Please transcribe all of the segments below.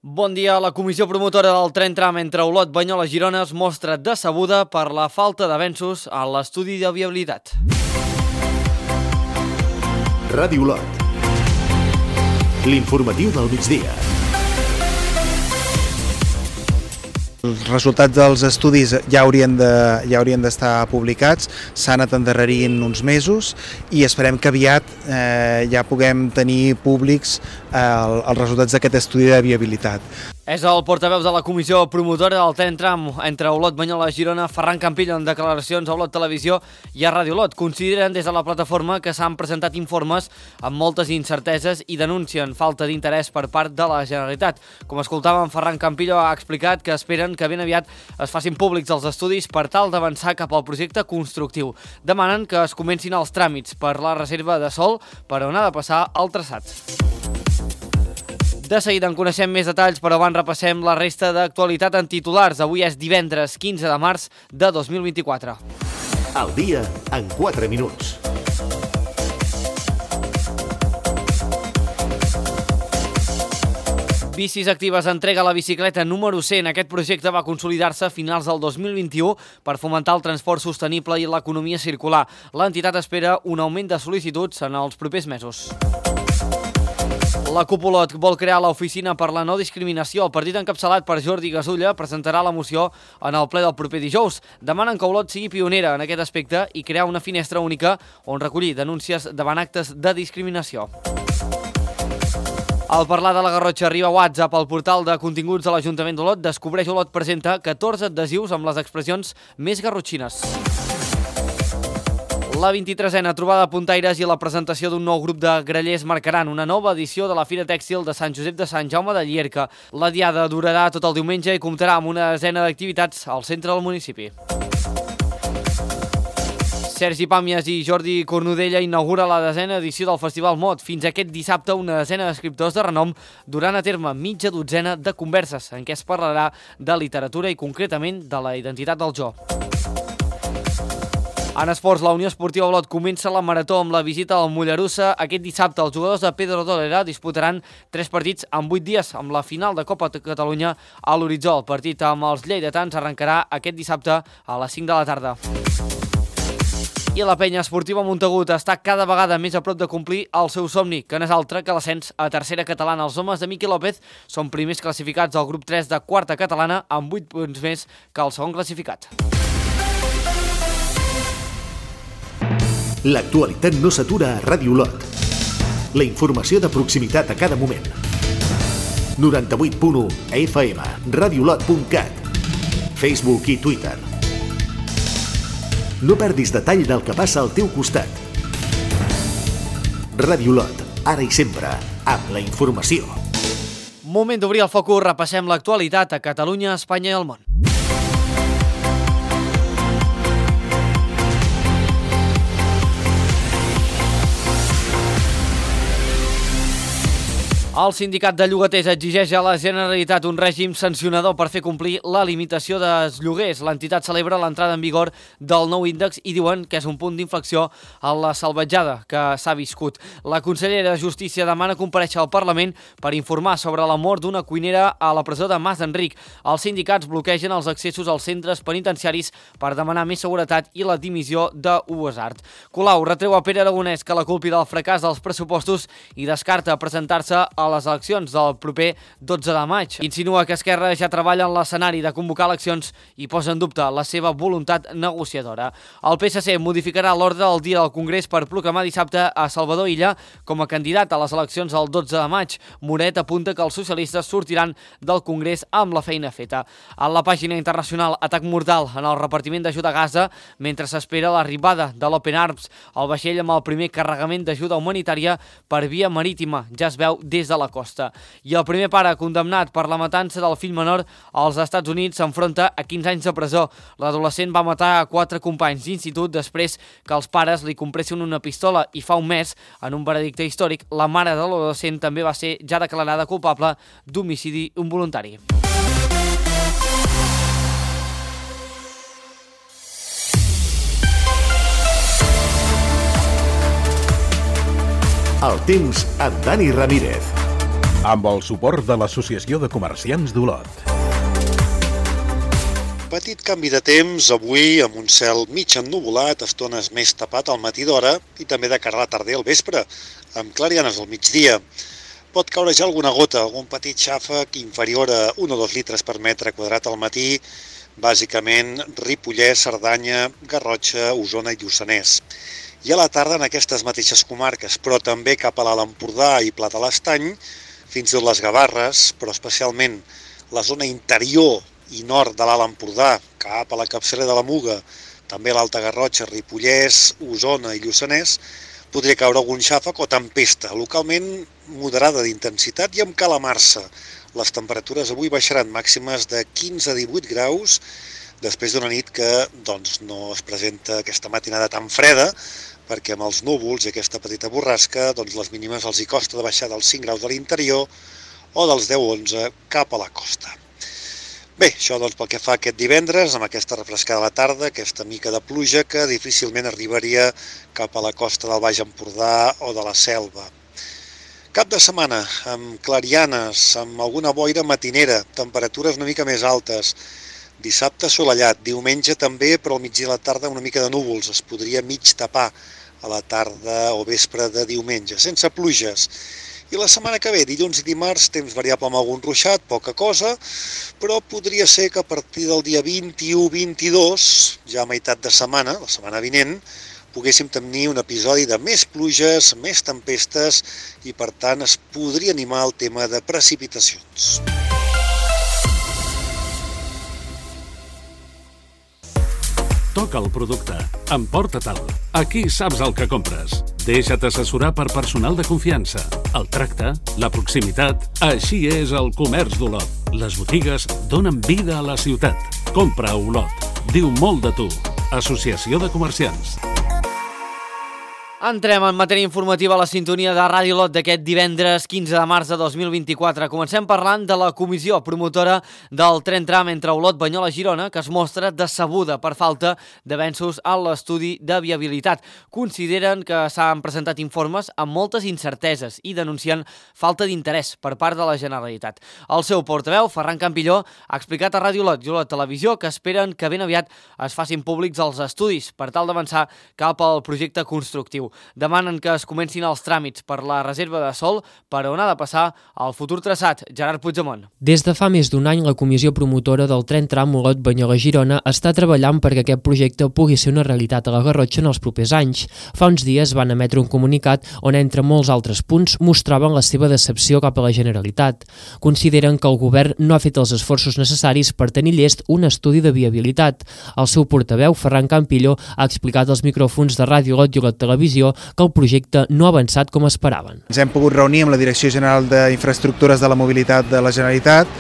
Bon dia. La comissió promotora del tren tram entre Olot, Banyoles i Girona es mostra decebuda per la falta d'avenços en l'estudi de viabilitat. Ràdio Olot. L'informatiu del migdia. Els resultats dels estudis ja haurien d'estar publicats, s'han anat endarrerint uns mesos i esperem que aviat ja puguem tenir públics els resultats d'aquest estudi de viabilitat. És el portaveu de la comissió promotora del tren tram entre Olot, Banyoles i Girona, Ferran Campillo, en declaracions a Olot Televisió i a Ràdio Olot. Consideren des de la plataforma que s'han presentat informes amb moltes incerteses i denuncien falta d'interès per part de la Generalitat. Com escoltàvem, Ferran Campillo ha explicat que esperen que ben aviat es facin públics els estudis per tal d'avançar cap al projecte constructiu. Demanen que es comencin els tràmits per la reserva de sòl per on ha de passar el traçat. De seguida en coneixem més detalls, però abans repassem la resta d'actualitat en titulars. Avui és divendres 15 de març de 2024. El dia en 4 minuts. Bicis Actives entrega la bicicleta número 100. Aquest projecte va consolidar-se a finals del 2021 per fomentar el transport sostenible i l'economia circular. L'entitat espera un augment de sol·licituds en els propers mesos. La CUP Olot vol crear l'oficina per la no discriminació. El partit encapçalat per Jordi Gasulla presentarà la moció en el ple del proper dijous. Demanen que Olot sigui pionera en aquest aspecte i crear una finestra única on recollir denúncies davant actes de discriminació. Al parlar de la Garrotxa arriba WhatsApp al portal de continguts de l'Ajuntament d'Olot. Descobreix Olot presenta 14 adhesius amb les expressions més garrotxines. La 23a trobada de puntaires i la presentació d'un nou grup de grallers marcaran una nova edició de la Fira Tèxtil de Sant Josep de Sant Jaume de Llierca. La diada durarà tot el diumenge i comptarà amb una desena d'activitats al centre del municipi. Sergi Pàmies i Jordi Cornudella inaugura la desena edició del Festival Mot. Fins aquest dissabte, una desena d'escriptors de renom duran a terme mitja dotzena de converses en què es parlarà de literatura i concretament de la identitat del jo. En esports, la Unió Esportiva Olot comença la marató amb la visita al Mollerussa. Aquest dissabte, els jugadors de Pedro Dolera disputaran 3 partits en 8 dies, amb la final de Copa de Catalunya a l'horitzó. El partit amb els lleidatans arrencarà aquest dissabte a les 5 de la tarda. I la penya esportiva Montagut està cada vegada més a prop de complir el seu somni, que no és altre que l'ascens a tercera catalana. Els homes de Miqui López són primers classificats del grup 3 de quarta catalana amb 8 punts més que el segon classificat. L'actualitat no s'atura a Ràdio Olot. La informació de proximitat a cada moment. 98.1 FM, radiolot.cat, Facebook i Twitter. No perdis detall del que passa al teu costat. Ràdio Olot, ara i sempre, amb la informació. Moment d'obrir el focus, repassem l'actualitat a Catalunya, Espanya i el món. El sindicat de llogaters exigeix a la Generalitat un règim sancionador per fer complir la limitació dels lloguers. L'entitat celebra l'entrada en vigor del nou índex i diuen que és un punt d'inflexió en la salvatjada que s'ha viscut. La consellera de Justícia demana comparèixer al Parlament per informar sobre la mort d'una cuinera a la presó de Mas d'Enric. Els sindicats bloquegen els accessos als centres penitenciaris per demanar més seguretat i la dimissió de UESART. Colau retreu a Pere Aragonès que la culpi del fracàs dels pressupostos i descarta presentar-se a les eleccions del proper 12 de maig. Insinua que Esquerra ja treballa en l'escenari de convocar eleccions i posa en dubte la seva voluntat negociadora. El PSC modificarà l'ordre del dia del Congrés per proclamar dissabte a Salvador Illa com a candidat a les eleccions del 12 de maig. Moret apunta que els socialistes sortiran del Congrés amb la feina feta. A la pàgina internacional, atac mortal en el repartiment d'ajuda a Gaza mentre s'espera l'arribada de l'Open Arms, el vaixell amb el primer carregament d'ajuda humanitària per via marítima. Ja es veu des de la costa. I el primer pare condemnat per la matança del fill menor als Estats Units s'enfronta a 15 anys de presó. L'adolescent va matar a 4 companys d'institut després que els pares li compressin una pistola i fa un mes, en un veredicte històric, la mare de l'adolescent també va ser ja declarada culpable d'homicidi involuntari. El temps amb Dani Ramírez. amb el suport de l'Associació de Comerciants d'Olot. Petit canvi de temps, avui amb un cel mig ennuvolat, estones més tapat al matí d'hora i també de cara a la tarda i al vespre, amb clarianes al migdia. Pot caure ja alguna gota, algun petit xàfec inferior a 1 o 2 litres per metre quadrat al matí, bàsicament Ripollès, Cerdanya, Garrotxa, Osona i Lluçanès. I a la tarda en aquestes mateixes comarques, però també cap a l'Alt Empordà i Pla de l'Estany, fins i tot les Gavarres, però especialment la zona interior i nord de l'Alt Empordà, cap a la capçalera de la Muga, també l'Alta Garrotxa, Ripollès, Osona i Lluçanès, podria caure algun xàfec o tempesta, localment moderada d'intensitat i amb calamarsa. Les temperatures avui baixaran màximes de 15 a 18 graus, després d'una nit que no es presenta aquesta matinada tan freda, perquè amb els núvols i aquesta petita borrasca les mínimes els hi costa de baixar dels 5 graus de l'interior o dels 10-11 cap a la costa. Bé, això pel que fa a aquest divendres, amb aquesta refrescada a la tarda, aquesta mica de pluja que difícilment arribaria cap a la costa del Baix Empordà o de la Selva. Cap de setmana, amb clarianes, amb alguna boira matinera, temperatures una mica més altes. Dissabte assolellat, diumenge també, però al migdia i a la tarda una mica de núvols. Es podria mig tapar a la tarda o vespre de diumenge, sense pluges. I la setmana que ve, dilluns i dimarts, temps variable amb algun ruixat, poca cosa, però podria ser que a partir del dia 21-22, ja a meitat de setmana, la setmana vinent, poguéssim tenir un episodi de més pluges, més tempestes i, per tant, es podria animar el tema de precipitacions. Toca el producte, emporta-te'l. Aquí saps el que compres. Deixa't assessorar per personal de confiança. El tracte, la proximitat, així és el comerç d'Olot. Les botigues donen vida a la ciutat. Compra a Olot. Diu molt de tu. Associació de Comerciants. Entrem en matèria informativa a la sintonia de Ràdio Olot d'aquest divendres 15 de març de 2024. Comencem parlant de la comissió promotora del tren tram entre Olot, Banyoles i Girona, que es mostra decebuda per falta d'avenços en l'estudi de viabilitat. Consideren que s'han presentat informes amb moltes incerteses i denuncien falta d'interès per part de la Generalitat. El seu portaveu, Ferran Campilló, ha explicat a Ràdio Olot i Olot Televisió que esperen que ben aviat es facin públics els estudis per tal d'avançar cap al projecte constructiu. Demanen que es comencin els tràmits per la reserva de sòl per on ha de passar el futur traçat. Gerard Puigdemont. Des de fa més d'un any, la comissió promotora del tren tram Olot, Banyoles i Girona està treballant perquè aquest projecte pugui ser una realitat a la Garrotxa en els propers anys. Fa uns dies van emetre un comunicat on, entre molts altres punts, mostraven la seva decepció cap a la Generalitat. Consideren que el govern no ha fet els esforços necessaris per tenir llest un estudi de viabilitat. El seu portaveu, Ferran Campilló, ha explicat als micròfons de Ràdio Olot i Olot Televisió que el projecte no ha avançat com esperaven. Ens hem pogut reunir amb la Direcció General d'Infraestructures de la Mobilitat de la Generalitat.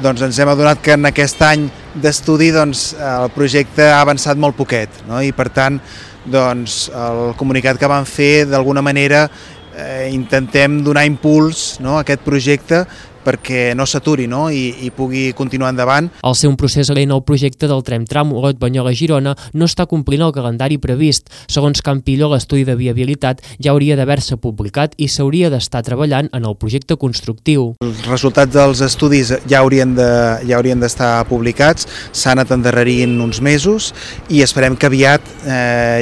Ens hem adonat que en aquest any d'estudi el projecte ha avançat molt poquet, no? I per tant el comunicat que vam fer d'alguna manera intentem donar impuls, no, a aquest projecte perquè no s'aturi, no? I pugui continuar endavant. Al ser un procés lent, el projecte del tren tram Olot, Banyoles i Girona no està complint el calendari previst. Segons Campilló, l'estudi de viabilitat ja hauria d'haver-se publicat i s'hauria d'estar treballant en el projecte constructiu. Els resultats dels estudis ja haurien d'estar publicats, s'han anat endarrerint uns mesos i esperem que aviat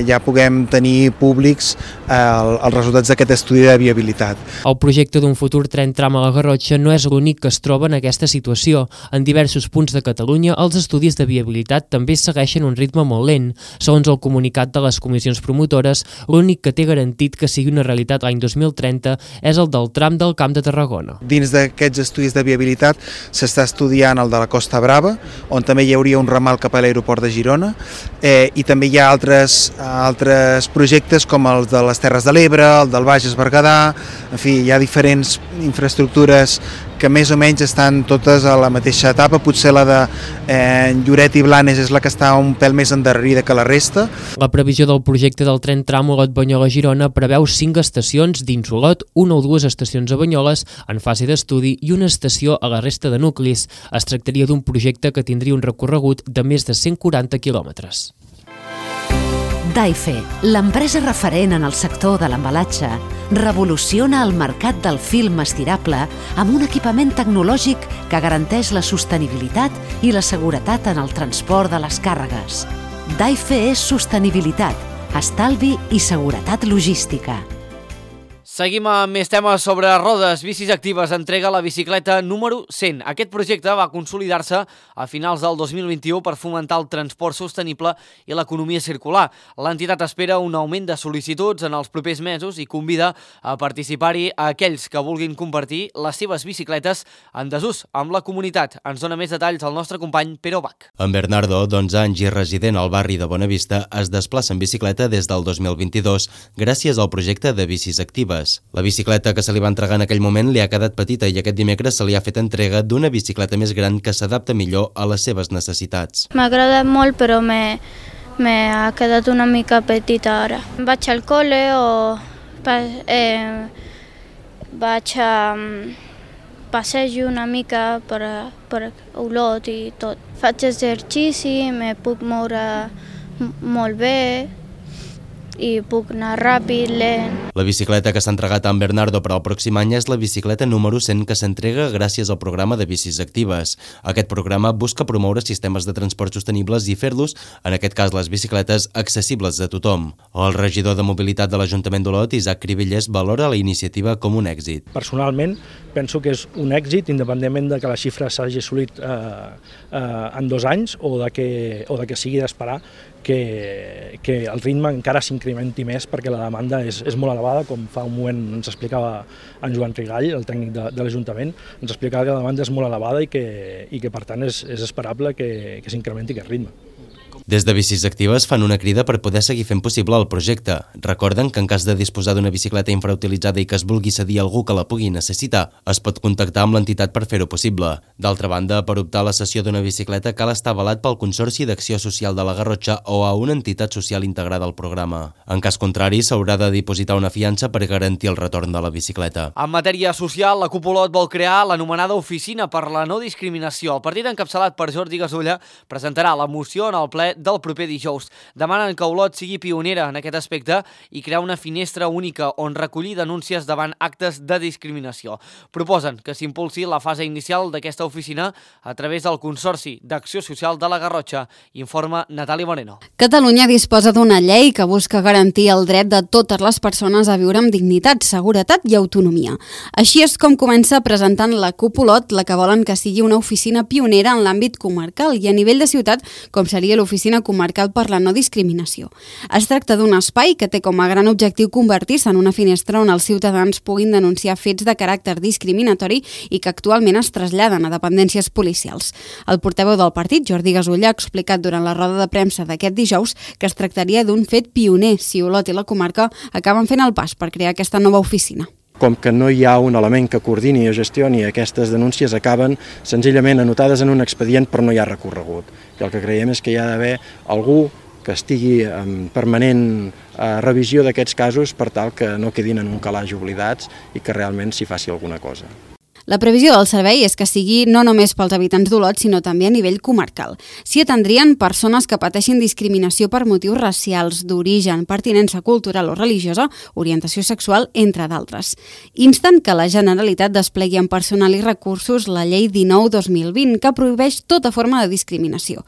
ja puguem tenir públics els resultats d'aquest estudi de viabilitat. El projecte d'un futur tren tram a la Garrotxa no és l'únic que es troba en aquesta situació. En diversos punts de Catalunya, els estudis de viabilitat també segueixen un ritme molt lent. Segons el comunicat de les comissions promotores, l'únic que té garantit que sigui una realitat l'any 2030 és el del tram del Camp de Tarragona. Dins d'aquests estudis de viabilitat s'està estudiant el de la Costa Brava, on també hi hauria un ramal cap a l'aeroport de Girona, i també hi ha altres projectes com els de les Terres de l'Ebre, el del Bages Berguedà, en fi, hi ha diferents infraestructures que més o menys estan totes a la mateixa etapa. Potser la de Lloret i Blanes és la que està un pèl més endarrerida que la resta. La previsió del projecte del tren tram Olot, Banyoles i Girona preveu 5 estacions dins Olot, 1 o 2 estacions a Banyoles en fase d'estudi i una estació a la resta de nuclis. Es tractaria d'un projecte que tindria un recorregut de més de 140 quilòmetres. Daife, l'empresa referent en el sector de l'embalatge, revoluciona el mercat del film estirable amb un equipament tecnològic que garanteix la sostenibilitat i la seguretat en el transport de les càrregues. Daife és sostenibilitat, estalvi i seguretat logística. Seguim amb més temes sobre rodes. Bicis Actives entrega la bicicleta número 100. Aquest projecte va consolidar-se a finals del 2021 per fomentar el transport sostenible i l'economia circular. L'entitat espera un augment de sol·licituds en els propers mesos i convida a participar-hi a aquells que vulguin compartir les seves bicicletes en desús amb la comunitat. Ens dona més detalls el nostre company Pere Bach. En Bernardo, d'11 anys i resident al barri de Bonavista, es desplaça en bicicleta des del 2022 gràcies al projecte de Bicis Actives. La bicicleta que se li va entregar en aquell moment li ha quedat petita i aquest dimecres se li ha fet entrega d'una bicicleta més gran que s'adapta millor a les seves necessitats. M'ha agradat molt, però m'ha quedat una mica petita ara. Vaig al col·le o vaig a passejo una mica per Olot i tot. Faig exercici, me puc moure molt bé i puc anar ràpid, lent. La bicicleta que s'ha entregat a en Bernardo per al pròxim any és la bicicleta número 100 que s'entrega gràcies al programa de Bicis Actives. Aquest programa busca promoure sistemes de transport sostenibles i fer-los, en aquest cas les bicicletes, accessibles a tothom. El regidor de mobilitat de l'Ajuntament d'Olot, Isaac Cribellés, valora la iniciativa com un èxit. Personalment, penso que és un èxit, independentment de que la xifra s'hagi assolit en 2 anys o de que sigui d'esperar que el ritme encara s'incrementi més perquè la demanda és molt elevada, com fa un moment ens explicava en Joan Rigall, el tècnic de l'Ajuntament, ens explicava que la demanda és molt elevada i que per tant és esperable que s'incrementi aquest ritme. Des de Bicis Actives fan una crida per poder seguir fent possible el projecte. Recorden que en cas de disposar d'una bicicleta infrautilitzada i que es vulgui cedir a algú que la pugui necessitar, es pot contactar amb l'entitat per fer-ho possible. D'altra banda, per optar a la cessió d'una bicicleta cal estar avalat pel Consorci d'Acció Social de la Garrotxa o a una entitat social integrada al programa. En cas contrari, s'haurà de dipositar una fiança per garantir el retorn de la bicicleta. En matèria social, la Cup Olot vol crear l'anomenada Oficina per la No Discriminació. El partit encapçalat per Jordi Gasulla presentarà la moció en el ple del proper dijous. Demanen que Olot sigui pionera en aquest aspecte i crear una finestra única on recollir denúncies davant actes de discriminació. Proposen que s'impulsi la fase inicial d'aquesta oficina a través del Consorci d'Acció Social de la Garrotxa, informa Natàlia Moreno. Catalunya disposa d'una llei que busca garantir el dret de totes les persones a viure amb dignitat, seguretat i autonomia. Així és com comença presentant la CUP Olot, la que volen que sigui una oficina pionera en l'àmbit comarcal i a nivell de ciutat, com seria l'Oficina Comarcal per la No Discriminació. Es tracta d'un espai que té com a gran objectiu convertir-se en una finestra on els ciutadans puguin denunciar fets de caràcter discriminatori i que actualment es traslladen a dependències policials. El portaveu del partit, Jordi Gasulla, ha explicat durant la roda de premsa d'aquest dijous que es tractaria d'un fet pioner si Olot i la comarca acaben fent el pas per crear aquesta nova oficina. Com que no hi ha un element que coordini o gestioni, aquestes denúncies acaben senzillament anotades en un expedient però no hi ha recorregut. I el que creiem és que hi ha d'haver algú que estigui en permanent revisió d'aquests casos per tal que no quedin en un calaix oblidats i que realment s'hi faci alguna cosa. La previsió del servei és que sigui no només pels habitants d'Olot, sinó també a nivell comarcal. S'hi atendrien persones que pateixin discriminació per motius racials, d'origen, pertinença cultural o religiosa, orientació sexual, entre d'altres. Insten que la Generalitat desplegui amb personal i recursos la Llei 19/2020, que prohibeix tota forma de discriminació.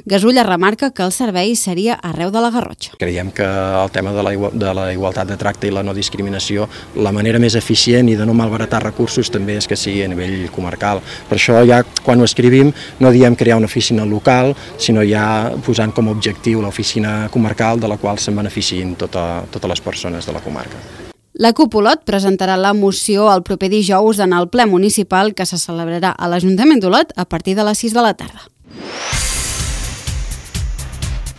Gasulla remarca que el servei seria arreu de la Garrotxa. Creiem que el tema de la igualtat de tracte i la no discriminació, la manera més eficient i de no malbaratar recursos també és que sigui a nivell comarcal. Per això ja quan ho escrivim no diem crear una oficina local, sinó ja posant com a objectiu l'oficina comarcal de la qual se'n beneficiïn totes les persones de la comarca. La CUP Olot presentarà la moció el proper dijous en el ple municipal que se celebrarà a l'Ajuntament d'Olot a partir de les 6 de la tarda.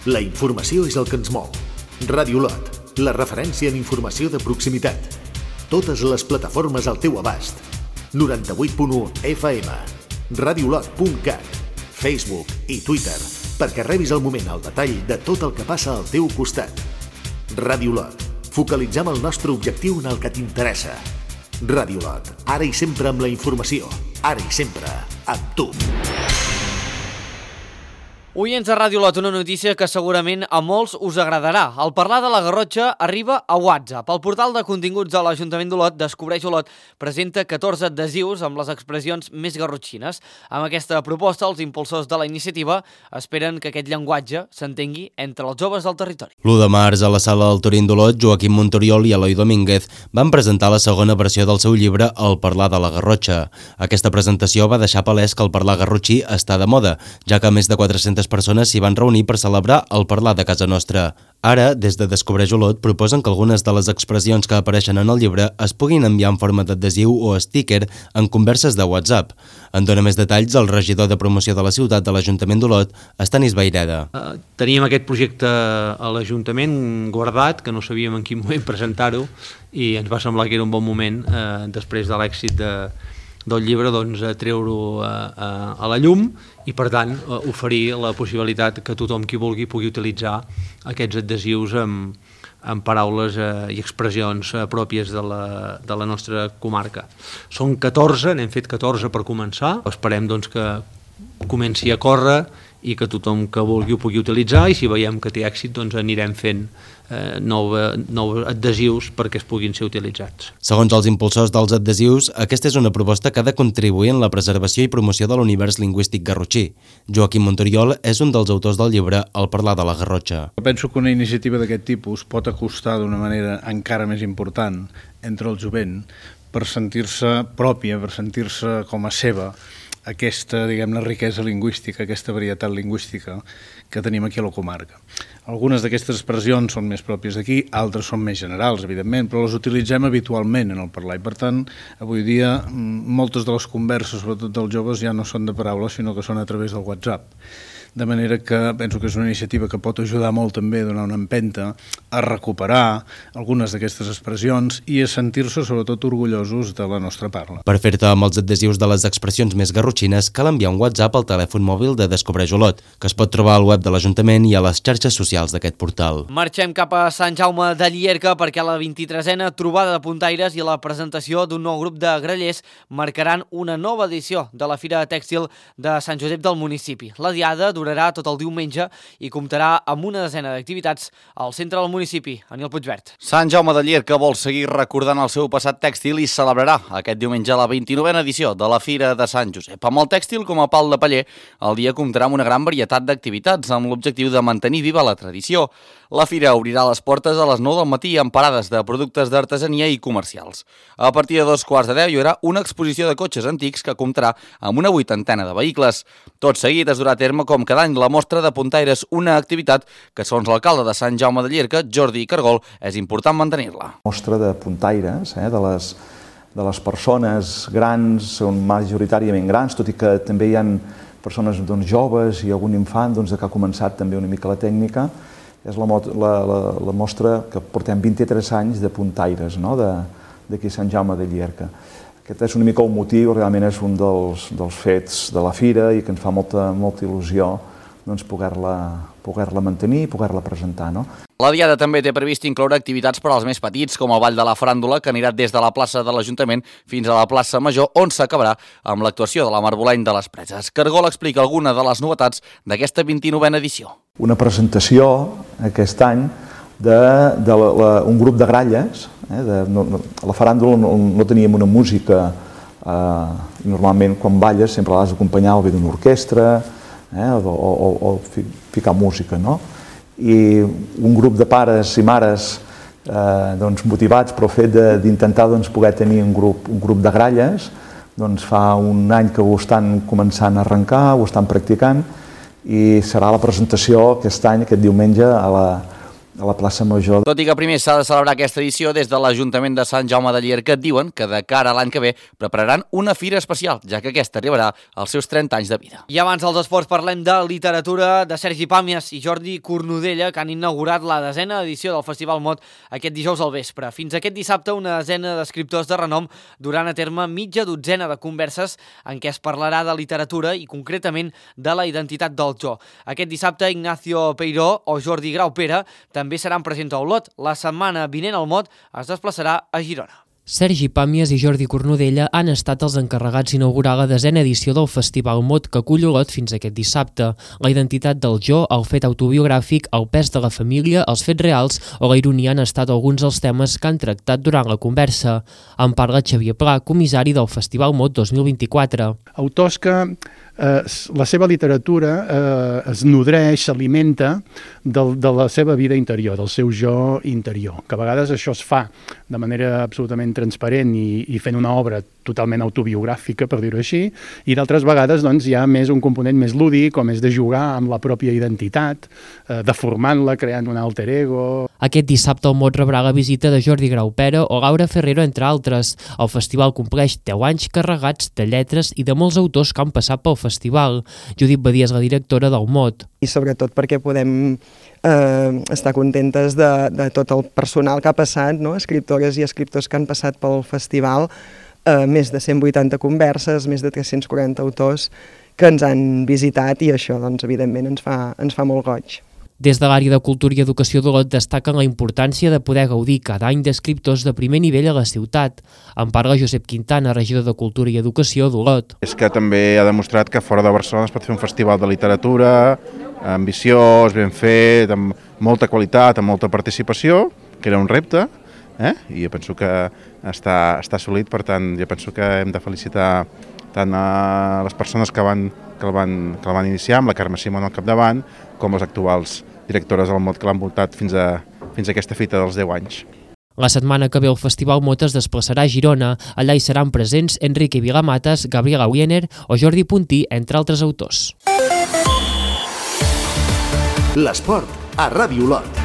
La informació és el que ens mou. Ràdio Olot, la referència en informació de proximitat. Totes les plataformes al teu abast. 98.1 FM, radiolot.cat, Facebook i Twitter, perquè rebis al moment el detall de tot el que passa al teu costat. Ràdio Olot, focalitzem el nostre objectiu en el que t'interessa. Ràdio Olot, ara i sempre amb la informació, ara i sempre amb tu. Oients de Ràdio Lot, una notícia que segurament a molts us agradarà. El parlar de la Garrotxa arriba a WhatsApp. El portal de continguts de l'Ajuntament d'Olot, Descobreix Olot, presenta 14 adhesius amb les expressions més garrotxines. Amb aquesta proposta, els impulsors de la iniciativa esperen que aquest llenguatge s'entengui entre els joves del territori. L'1 de març, a la sala del Torín d'Olot, Joaquim Montoriol i Eloi Domínguez van presentar la segona versió del seu llibre El parlar de la Garrotxa. Aquesta presentació va deixar palès que el parlar garrotxí està de moda, ja que més de 400 persones s'hi van reunir per celebrar el parlar de casa nostra. Ara, des de Descobreix Olot, proposen que algunes de les expressions que apareixen en el llibre es puguin enviar en forma d'adhesiu o sticker en converses de WhatsApp. En dona més detalls el regidor de promoció de la ciutat de l'Ajuntament d'Olot, Estanis Vaireda. Teníem aquest projecte a l'Ajuntament guardat, que no sabíem en quin moment presentar-ho, i ens va semblar que era un bon moment, després de l'èxit del llibre, treure-ho a la llum i, per tant, oferir la possibilitat que tothom qui vulgui pugui utilitzar aquests adhesius amb paraules i expressions pròpies de la nostra comarca. Són 14, n'hem fet 14 per començar. Esperem que comenci a córrer i que tothom que vulgui ho pugui utilitzar, i si veiem que té èxit anirem fent nous adhesius perquè es puguin ser utilitzats. Segons els impulsors dels adhesius, aquesta és una proposta que ha de contribuir en la preservació i promoció de l'univers lingüístic garrotxí. Joaquim Montoriol és un dels autors del llibre El parlar de la Garrotxa. Penso que una iniciativa d'aquest tipus pot acostar d'una manera encara més important entre el jovent per sentir-se pròpia, per sentir-se com a seva, aquesta, diguem-ne, riquesa lingüística, aquesta varietat lingüística que tenim aquí a la comarca. Algunes d'aquestes expressions són més pròpies d'aquí, altres són més generals, evidentment, però les utilitzem habitualment en el parlar i, per tant, avui dia moltes de les converses, sobretot dels joves, ja no són de paraules, sinó que són a través del WhatsApp. De manera que penso que és una iniciativa que pot ajudar molt també a donar una empenta, a recuperar algunes d'aquestes expressions i a sentir-se sobretot orgullosos de la nostra parla. Per fer-te amb els adhesius de les expressions més garrotxines cal enviar un WhatsApp al telèfon mòbil de Descobreix Olot, que es pot trobar al web de l'Ajuntament i a les xarxes socials d'aquest portal. Marxem cap a Sant Jaume de Llierca perquè la 23a trobada de puntaires i la presentació d'un nou grup de grallers marcaran una nova edició de la Fira Tèxtil de Sant Josep del municipi. La diada durarà tot el diumenge i comptarà amb una desena d'activitats al centre del municipi. Aniol Puigvert. Sant Jaume de Llierca vol seguir recordant el seu passat tèxtil i celebrarà aquest diumenge la 29a edició de la Fira de Sant Josep. Amb el tèxtil com a pal de paller, el dia comptarà amb una gran varietat d'activitats amb l'objectiu de mantenir viva la tradició. La fira obrirà les portes a les 9 del matí amb parades de productes d'artesania i comercials. A partir de 2:15 hi haurà una exposició de cotxes antics que comptarà amb una 80 de vehicles. Tot seguit es durà a terme com cada any la mostra de puntaires, una activitat que, segons l'alcalde de Sant Jaume de Llierca, Jordi Cargol, és important mantenir-la. Mostra de puntaires, de les persones grans, són majoritàriament grans, tot i que també hi ha persones joves i algun infant que ha començat també una mica la tècnica. És la mostra que portem 23 anys de puntaires d'aquí a Sant Jaume de Llierca. Aquest és una mica el motiu, realment és un dels fets de la fira i que ens fa molta il·lusió poder-la mantenir i poder-la presentar. La diada també té previst incloure activitats per als més petits, com el Ball de la Faràndula, que anirà des de la plaça de l'Ajuntament fins a la plaça Major, on s'acabarà amb l'actuació de la Marboleny de les Preses. Cargol explica alguna de les novetats d'aquesta 29a edició. Una presentació aquest any d'un grup de gralles. A la faràndula no teníem una música, normalment quan balles sempre l'has d'acompanyar o bé d'una orquestra o ficar música, no? I un grup de pares i mares motivats pel fet d'intentar poder tenir un grup de gralles, fa un any que ho estan començant a arrencar, ho estan practicant i serà la presentació aquest any, aquest diumenge, a la plaça Major. Tot i que primer s'ha de celebrar aquesta edició, des de l'Ajuntament de Sant Jaume de Llierca diuen que de cara a l'any que ve prepararan una fira especial, ja que aquesta arribarà als seus 30 anys de vida. I abans dels esports parlem de literatura de Sergi Pàmies i Jordi Cornudella, que han inaugurat la 10a edició del Festival Mot aquest dijous al vespre. Fins aquest dissabte una desena d'escriptors de renom duran a terme mitja dotzena de converses en què es parlarà de literatura i concretament de la identitat del jo. Aquest dissabte Ignacio Peiró o Jordi Graupera també seran presents a Olot. La setmana vinent el Mot es desplaçarà a Girona. Sergi Pàmies i Jordi Cornudella han estat els encarregats d'inaugurar la 10a edició del Festival Mot que acull Olot fins aquest dissabte. La identitat del jo, el fet autobiogràfic, el pes de la família, els fets reals o la ironia han estat alguns dels temes que han tractat durant la conversa. En parla Xavier Pla, comissari del Festival Mot 2024. Autors que la seva literatura es nodreix, s'alimenta de la seva vida interior, del seu jo interior, que a vegades això es fa de manera absolutament transparent i fent una obra totalment autobiogràfica, per dir-ho així, i d'altres vegades doncs, hi ha més un component més lúdic, com és de jugar amb la pròpia identitat, deformant-la, creant un alter ego. Aquest dissabte el Mot rebrà la visita de Jordi Graupera o Laura Ferrero, entre altres. El festival compleix 10 anys carregats de lletres i de molts autors que han passat pel festival. Judit Badia és la directora del Mot. I sobretot perquè podem estar contentes de tot el personal que ha passat, no? Escriptores i escriptors que han passat pel festival, més de 180 converses, més de 340 autors que ens han visitat i això, doncs, evidentment, ens fa molt goig. Des de l'àrea de Cultura i Educació d'Olot destaquen la importància de poder gaudir cada any d'escriptors de primer nivell a la ciutat. En parla Josep Quintana, regidor de Cultura i Educació d'Olot. És que també ha demostrat que fora de Barcelona es pot fer un festival de literatura ambiciós, ben fet, amb molta qualitat, amb molta participació, que era un repte, i jo penso que està assolit, per tant, jo penso que hem de felicitar tant a les persones que el van iniciar, amb la Carme Simón al capdavant, com les actuals directores del Mot que l'han voltat fins a aquesta fita dels 10 anys. La setmana que ve el Festival Mot es desplaçarà a Girona. Allà hi seran presents Enrique Vilamatas, Gabriela Wiener o Jordi Puntí, entre altres autors. L'esport a Ràdio Olot.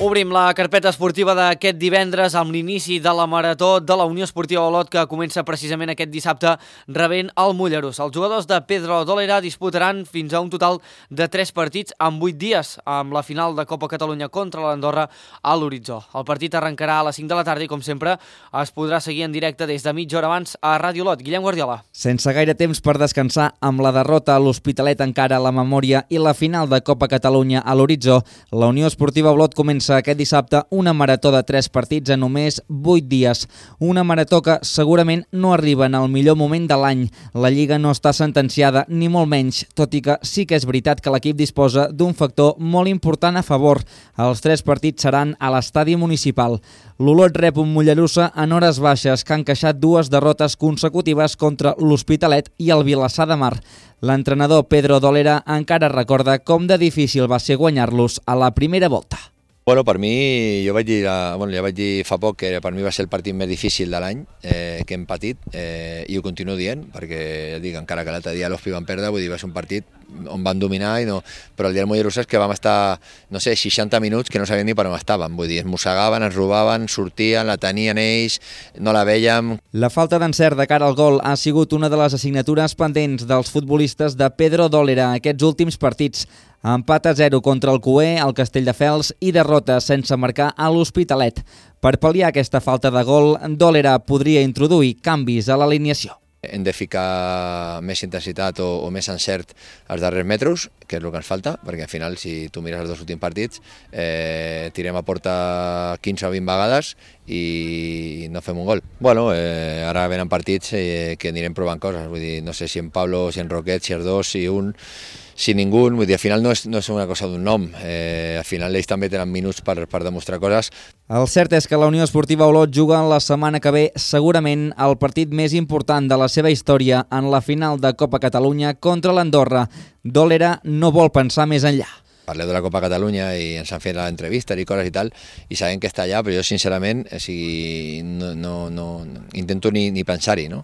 Obrim la carpeta esportiva d'aquest divendres amb l'inici de la marató de la Unió Esportiva Olot, que comença precisament aquest dissabte rebent el Mollerús. Els jugadors de Pedro Dólera disputaran fins a un total de 3 partits en 8 dies, amb la final de Copa Catalunya contra l'Andorra a l'horitzó. El partit arrencarà a les 5 de la tarda i, com sempre, es podrà seguir en directe des de mitja hora abans a Ràdio Olot. Guillem Guardiola. Sense gaire temps per descansar, amb la derrota a l'Hospitalet encara a la memòria i la final de Copa Catalunya a l'horitzó, la Unió Esportiva Olot comença aquest dissabte una marató de 3 partits en només 8 dies. Una marató que segurament no arriba en el millor moment de l'any. La Lliga no està sentenciada, ni molt menys, tot i que sí que és veritat que l'equip disposa d'un factor molt important a favor. Els 3 partits seran a l'estadi municipal. L'Olot rep un Mollerussa en hores baixes que han encaixat 2 derrotes consecutives contra l'Hospitalet i el Vilassar de Mar. L'entrenador Pedro Dólera encara recorda com de difícil va ser guanyar-los a la primera volta. Bueno, per mi, ja vaig dir fa poc que per mi va ser el partit més difícil de l'any que hem patit, i ho continuo dient, perquè ja dic, encara que l'altre dia l'Hospi van perdre, vull dir, va ser un partit on van dominar, però el dia del Mollerussa és que vam estar, 60 minuts que no sabíem ni per on estàvem, vull dir, ens mossegaven, ens robaven, sortien, la tenien ells, no la vèiem. La falta d'encert de cara al gol ha sigut una de les assignatures pendents dels futbolistes de Pedro Dólera aquests últims partits. Empat a 0 contra el Cué, el Castelldefels i derrota sense marcar a l'Hospitalet. Per pal·liar aquesta falta de gol, Dólera podria introduir canvis a l'alineació. Hem de ficar més intensitat o més encert als darrers metres, que és el que ens falta, perquè al final, si tu mires els 2 últims partits, tirem a porta 15 o 20 vegades i no fem un gol. Bueno, ara venen partits que anirem provant coses, vull dir, no sé si en Pablo, si en Roquet, si els 2, si un, si ningú, vull dir, al final no és una cosa d'un nom, al final ells també tenen minuts per demostrar coses. El cert és que la Unió Esportiva Olot juga la setmana que ve segurament el partit més important de la seva història en la final de Copa Catalunya contra l'Andorra. Dólera no vol pensar més enllà. Parleu de la Copa Catalunya i ens han fet l'entrevista i coses i tal, i sabem que està allà, però jo sincerament no intento ni pensar-hi, no?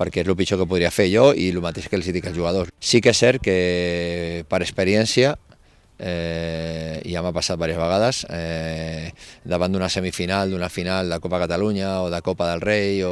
Perquè és el pitjor que podria fer jo i el mateix que els dic als jugadors. Sí que és cert que per experiència, ja m'ha passat diverses vegades, davant d'una semifinal, d'una final de Copa Catalunya o de Copa del Rei,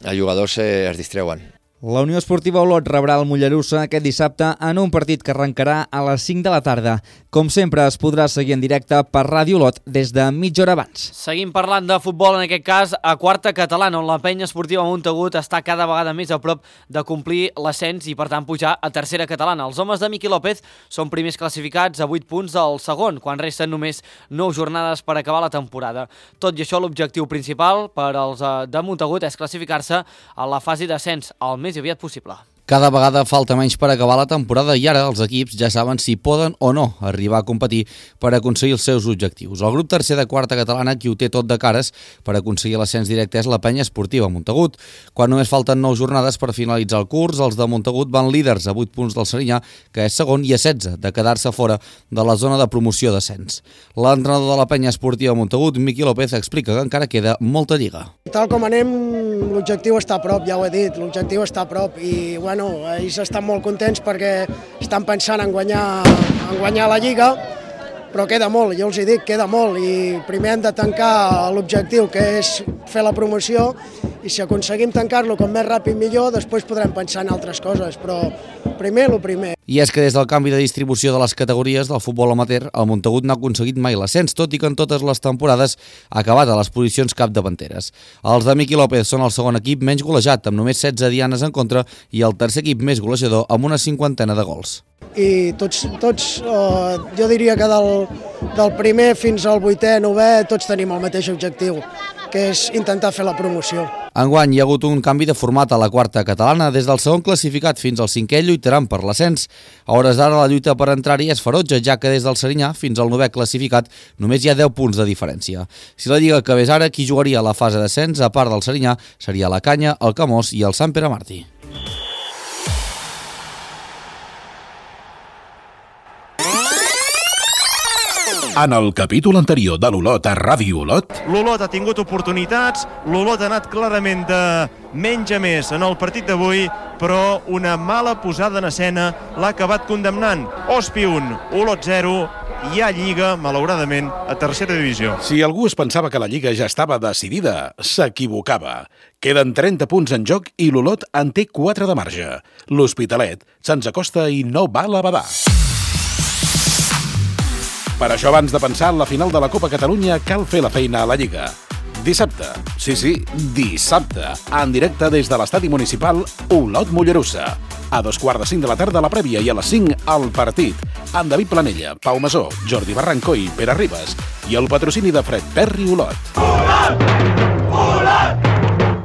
els jugadors es distreuen. La Unió Esportiva Olot rebrà el Mollerussa aquest dissabte en un partit que arrencarà a les 5 de la tarda. Com sempre, es podrà seguir en directe per Ràdio Olot des de mitja hora abans. Seguim parlant de futbol, en aquest cas a quarta catalana, on la penya esportiva Montagut està cada vegada més a prop de complir l'ascens i per tant pujar a tercera catalana. Els homes de Miqui López són primers classificats a 8 punts del segon, quan resten només 9 jornades per acabar la temporada. Tot i això, l'objectiu principal per als de Montagut és classificar-se a la fase d'ascens el més aviat possible. Cada vegada falta menys per acabar la temporada i ara els equips ja saben si poden o no arribar a competir per aconseguir els seus objectius. El grup tercer de quarta catalana, qui ho té tot de cares per aconseguir l'ascens directe, és la penya esportiva Montagut. Quan només falten 9 jornades per finalitzar el curs, els de Montagut van líders a 8 punts del Serinyà, que és segon, i a 16 de quedar-se fora de la zona de promoció d'ascens. L'entrenador de la penya esportiva Montagut, Miqui López, explica que encara queda molta lliga. Tal com anem, l'objectiu està a prop, ja ho he dit, l'objectiu està a prop i bueno, ells estan molt contents perquè estan pensant en guanyar la Lliga, però queda molt, jo els hi dic, queda molt i primer hem de tancar l'objectiu, que és fer la promoció, i si aconseguim tancar-lo com més ràpid millor, després podrem pensar en altres coses, però primer el primer. I és que des del canvi de distribució de les categories del futbol amateur, el Montagut no ha aconseguit mai l'ascens, tot i que en totes les temporades ha acabat a les posicions capdavanteres. Els de Miqui López són el segon equip menys golejat, amb només 16 dianes en contra, i el tercer equip més golejador, amb una 50 de gols. I tots jo diria que del primer fins al 8è, 9è, tots tenim el mateix objectiu, que és intentar fer la promoció. Enguany hi ha hagut un canvi de format a la quarta catalana. Des del segon classificat fins al 5è lluitaran per l'ascens. A hores d'ara la lluita per entrar-hi és ferotge, ja que des del Serinyà fins al 9è classificat només hi ha 10 punts de diferència. Si la Lliga acabés ara, qui jugaria a la fase d'ascens, a part del Serinyà, seria la Canya, el Camós i el Sant Pere Martí. En el capítol anterior de l'Olot a Ràdio Olot... L'Olot ha tingut oportunitats, l'Olot ha anat clarament de menys a més en el partit d'avui, però una mala posada en escena l'ha acabat condemnant. Ospi 1, Olot 0, hi ha Lliga, malauradament, a tercera divisió. Si algú es pensava que la Lliga ja estava decidida, s'equivocava. Queden 30 punts en joc i l'Olot en té 4 de marge. L'Hospitalet se'ns acosta i no val a badar. Per això, abans de pensar en la final de la Copa Catalunya, cal fer la feina a la Lliga. Dissabte, sí, dissabte, en directe des de l'estadi municipal Olot Mollerussa. A 2:45 de la tarda la prèvia i a les 5 el partit. Amb David Planella, Pau Masó, Jordi Barranco i Pere Ribas. I el patrocini de Fred Perry Olot. Olot!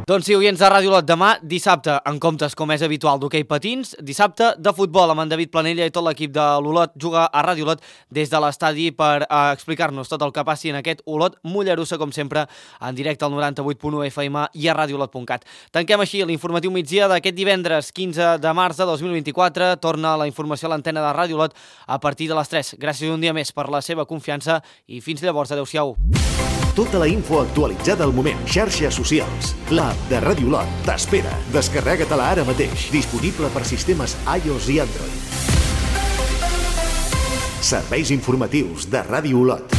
Doncs sí, oients de Ràdio Olot, demà dissabte, en comptes, com és habitual, d'hoquei patins, dissabte de futbol amb en David Planella i tot l'equip de l'Olot juga a Ràdio Olot des de l'estadi per explicar-nos tot el que passi en aquest Olot Mollerussa, com sempre, en directe al 98.1 FM i a radiolot.cat. Tanquem així l'informatiu migdia d'aquest divendres 15 de març de 2024. Torna la informació a l'antena de Ràdio Olot a partir de les 3. Gràcies un dia més per la seva confiança i fins llavors, adeu-siau. Tota la info actualitzada al moment. Xarxes socials. L'app de Ràdio Olot t'espera. Descarrega-te-la ara mateix. Disponible per sistemes iOS i Android. Serveis informatius de Ràdio Olot.